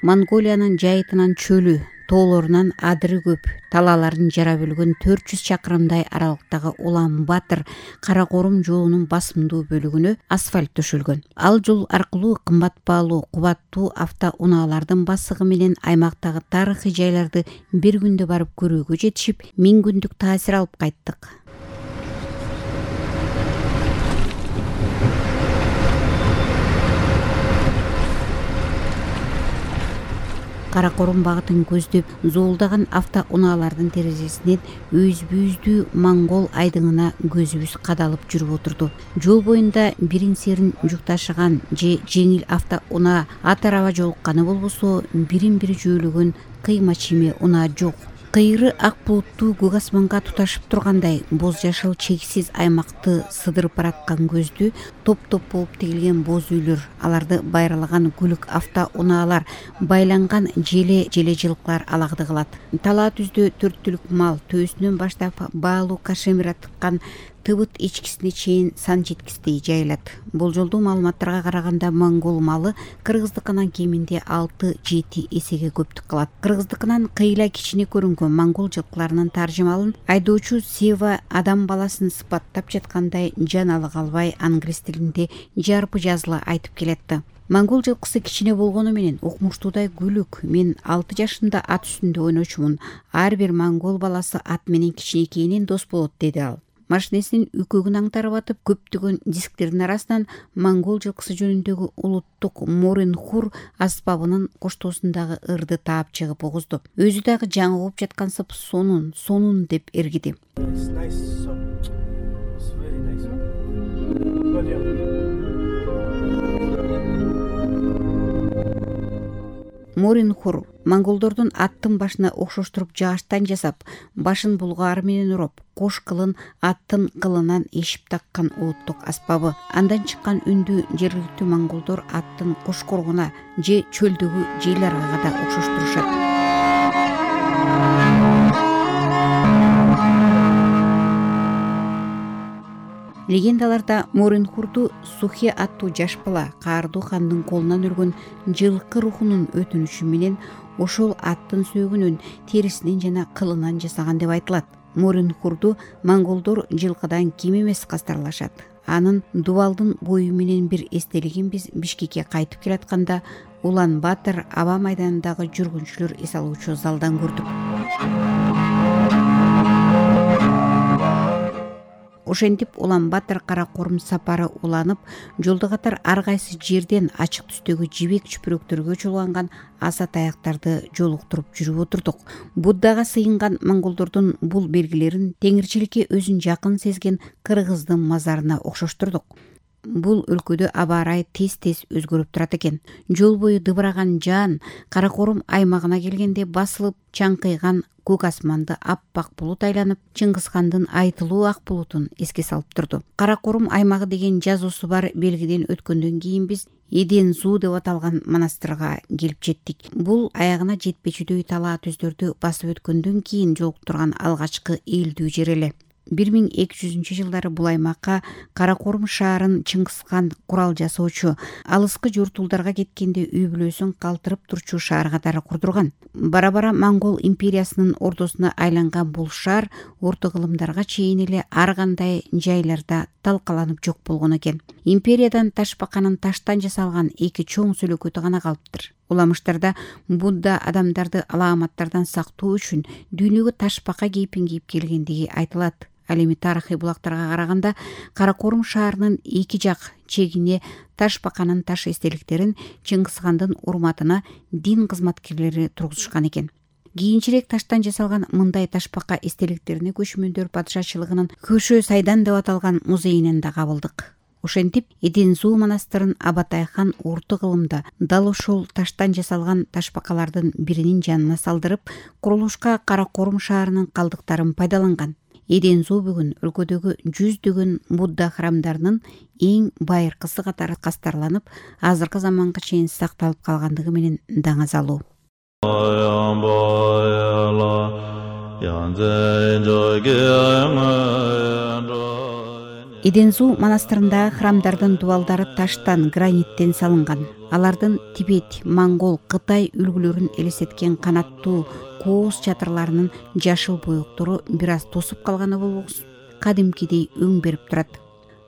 Монголиянын жайытынан чөлү, тоолорунан адыры көп, талааларын жара бөлгөн 400 чакырымдай аралыктагы Улан-Батыр Каракорум жолунун басымдуу бөлүгүнө асфальт төшөлгөн. Ал жол аркылуу кымбат баалуу, кубаттуу автоунаалардын басыгы менен аймактагы тарыхый жайларды бир күндө барып көрүүгө жетишип, 1000 күндүк таасир алып кайттык. Каракорум багытын көздөп зоолдаган автоунаалардын терезесинен өзбүздүү монгол айдыңына көзүбүз кадалып жүрүп отурду. Жол боюнда бирин-серин жүк ташыган же жеңил автоунаа ат араба жолукканы болбосо, бирин-бири жөөлөгөн кыйма чийме унаа жок. Кыйры ак булуттуу көк асманга туташып тургандай боз жашыл чексиз аймакты сыдырып бараткан көздү топ-топ болуп тигилген боз үйлөр, аларды байралаган көлүк автоунаалар, байланган желе жылкылар алагды кылат. Талаа түздө 4 түлүк мал, төөсүнөн баштап баалуу кашемира тыккан тыбыт ичкисине чейин сан жеткиздей жайылат. Болжолдуу маалыматтарга караганда монгол малы кыргыздыкынан кеминде 6-7 эсеге көптүк кылат. Кыргыздыкынан кыйла кичине көрүнгөн монгол жылкыларынын таржымалын айдоочу Сева адам баласын сыпаттап жаткандай жаналы калбай англис тилинде жарпы жазыла айтып келетти. Монгол жылкысы кичине болгону менен укмуштуудай күлүк. Мен 6 жашымда ат үстүндө ойночумун. Ар бир монгол баласы ат менен кичинекейинен дос болот, деди ал. Машинесинин үкөгүн аңтарып атып, көптөгөн дискттердин арасынан монгол жылкысы жөнүндөгү улуттук Морин-хур аспабынын коштоосундагы ырды таап чыгып огузду. Өзү дагы жаңы угуп жаткансып сонун деп эргиди. Морин-хур монголдордун аттын башына окшоштуруп жааштан жасап, башын булгаары менен уроп, кош кылын аттын кылынан эшип таккан улуттук аспабы. Андан чыккан үндү жергиликтүү монголдор аттын кошкоргуна же чөлдөгү жел аргага да окшоштурушат. Легендаларда Морин-хурду Сухе аттуу жаш бала каардуу хандын колунан өргөн жылкы рухунун өтүнүшү менен ошол аттын сөөгүнөн, терисинен жана кылынан жасаган деп айтылат. Морин-хурду монголдор жылкыдан кем эмес кастарлашат. Анын дубалдын бою менен бир эстелигин биз Бишкекке кайтып келатканда Улан-Батыр аба майданындагы жүргүнчүлөр эс алуучу залдан көрдүк. Ошентип Улан-Батыр Каракорум сапары уланып, жолдо катар ар кайсы жерден ачык түстөгү жибек чүпүрөктөргө чолганган аса таяктарды жолуктуруп жүрүп отурдук. Буддага сыйынган монголдордун бул белгилерин теңирчиликке өзүн жакын сезген кыргыздын мазарына окшоштурдук. Бул өлкөдө аба ырайы тез-тез өзгөрүп турат экен. Жол бою дыбыраган жаан Каракорум аймагына келгенде басылып чаңкыйган көк асманды аппак булут айланып, Чыңгызхандын айтылуу ак булутун эске салып турду. Каракорум аймагы деген жазуусу бар белгиден өткөндөн кийин биз Эден-зуу деп аталган монастырга келип жеттик. Бул аягына жетпечүдөй талаа түздөрдү басып өткөндөн кийин жолуктурган алгачкы элдүү жер эле. 1200-жылдары бул аймакка Каракорум шаарын Чыңгызхан курал жасоочу, алыскы жортулдарга кеткенде үй бүлөсүн калтырып турчу шаар катары курдурган. Бара-бара Монгол империясынын ордосуна айланган бул шаар орто кылымдарга чейин эле ар кандай жайларда талкаланып жок болгон экен. Империядан Ташбаканын таштан жасалган 2 чоң сөлөкөтү гана калыптыр. Уламыштарда Будда адамдарды алааматтардан сактоо үчүн дүйнөгө ташбака кейпин кийип келгендиги айтылат. Ал эми тарыхый булактарга караганда Каракорум шаарынын 2 жак чегине Ташбаканын таш эстеликтерин Чыңгызхандын урматына дин кызматкерлери тургузушкан экен. Кийинчерээк таштан жасалган мындай ташбака эстеликтерине көчмөндөр падышачылыгынын Көшө Сайдан деп аталган музейинен да кабылдык. Ошентип Эден-зуу монастырын Абатай хан орто кылымда дал ошол таштан жасалган ташбакалардын биринин жанына салдырып, курулушка Каракорум шаарынын калдыктарын пайдаланган. Эден-зуу бүгүн өлкөдөгү жүздөгөн Будда храмдарынын эң байыркысы катары кастарланып, азыркы заманга чейин сакталып калгандыгы менен даңазалуу. Эдензу манастырындагы храмдардын дубалдары таштан, граниттен салынган. Алардын Тибет, Монгол, Кытай үлгүлөрүн элестеткен канаттуу кооз чатырларынын жашыл боектору бир аз тосуп калганы болбосун, кадимкидей өң берип турат.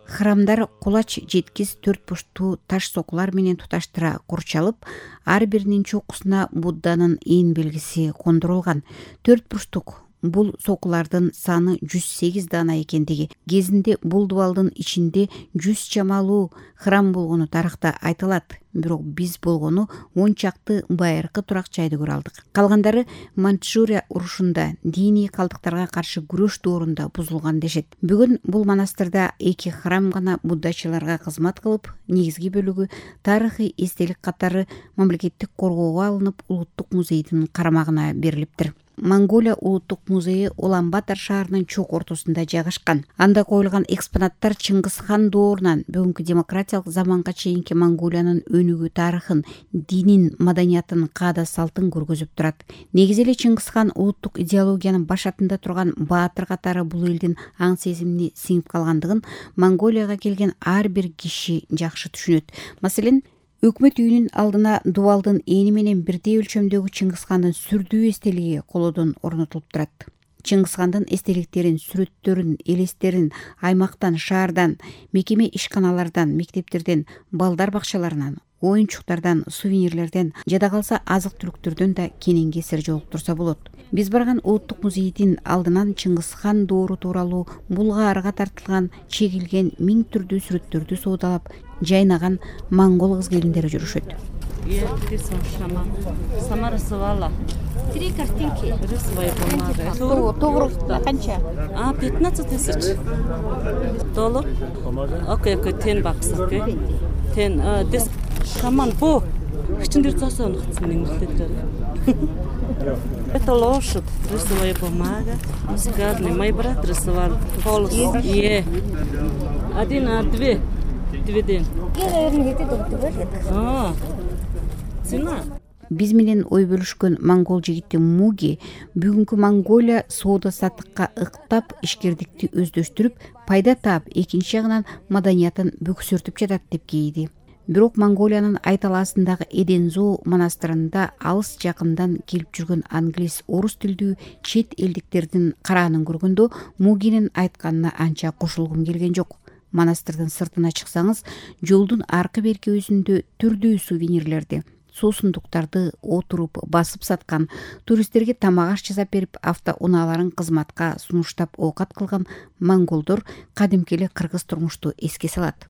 Храмдар кулач жеткис төрт бурчтуу таш сокулар менен туташтыра курчалып, ар биринин чокусуна Будданын ээн белгиси кондурулган. Төрт бурчтук бул сокулардын саны 108 дана экендиги, кезинде бул дубалдын ичинде 100 чамалуу храм болгону тарыхта айтылат. Бирок биз болгону 10 чакты байыркы турак жайды көрө алдык. Калгандары Манчжурия урушунда, диний калдыктарга каршы күрөш доорунда бузулган дешет. Бүгүн бул монастырда 2 храм гана буддачыларга кызмат кылып, негизги бөлүгү тарыхый эстелик катары мамлекеттик коргоого алынып, улуттук музейдин карамагына берилиптир. Монголия улуттук музейи Улан-Батор шаарынын чок ортосунда жайгашкан. Анда коюлган экспонаттар Чыңгыз хан доорунан бүгүнкү демократиялык заманга чейинки Монголиянын өнүгүү тарыхын, динин, маданиятын, каада салтын көргөзүп турат. Негизи эле Чыңгыз хан улуттук идеологиянын башатында турган баатыр катары бул элдин аң сезимине сиңип калгандыгын Монголияга келген ар бир киши жакшы түшүнөт. Маселен, өкмөт үйүнүн алдына дубалдын эни менен бирдей өлчөмдөгү Чыңгыз хандын сүрдүү эстелиги колодон орнотулуп турат. Чыңгыз хандын эстеликтерин, сүрөттөрүн, элестерин аймактан, шаардан, мекеме ишканалардан, мектептерден, балдар бакчаларынан, оюнчуктардан, сувенирлерден, жада калса азык-түлүктөрдөн да кенен кесир жолуктурса болот. Биз барган улуттук музейдин алдынан Чыңгыз хан доору тууралуу булга арга тартылган, чегилген 1000 түрдүү сүрөттөрдү соодалап жайнаган монгол кыз-келиндери жүрүшөт. Сама рисовала. 3 картинки. Рисовая бумага. Тогрук канча? 15 тысяч. Толук. Окей, тен баксак. Тен дес шаман по. Ичиндер засоон хатсынын. Это лошадь. Рисовая бумага. Сказали, мой брат рисовал полос. Один, две. Дведен. Цена. Биз менен ой бөлүшкөн монгол жигити Муги бүгүнкү Монголия соода саттыкка ыктап, ишкердикти өздөштүрүп, пайда таап, экинчи жагынан маданиятын бөксөртүп жатат деп кейиди. Бирок Монголиянын айталаасындагы Эдензу монастырында алыс жакындан келип жүргөн англис, орус тилдүү чет элдиктердин караанын көргөндө Мугинин айтканына анча кошулгум келген жок. Монастырдын сыртына чыксаңыз, жолдун аркы берки өзүндө түрдүү сувенирлерди, суусундуктарды отуруп басып саткан, туристтерге тамак аш жасап берип, автоунааларын кызматка сунуштап оокат кылган монголдор кадимки эле кыргыз турмушту эске салат.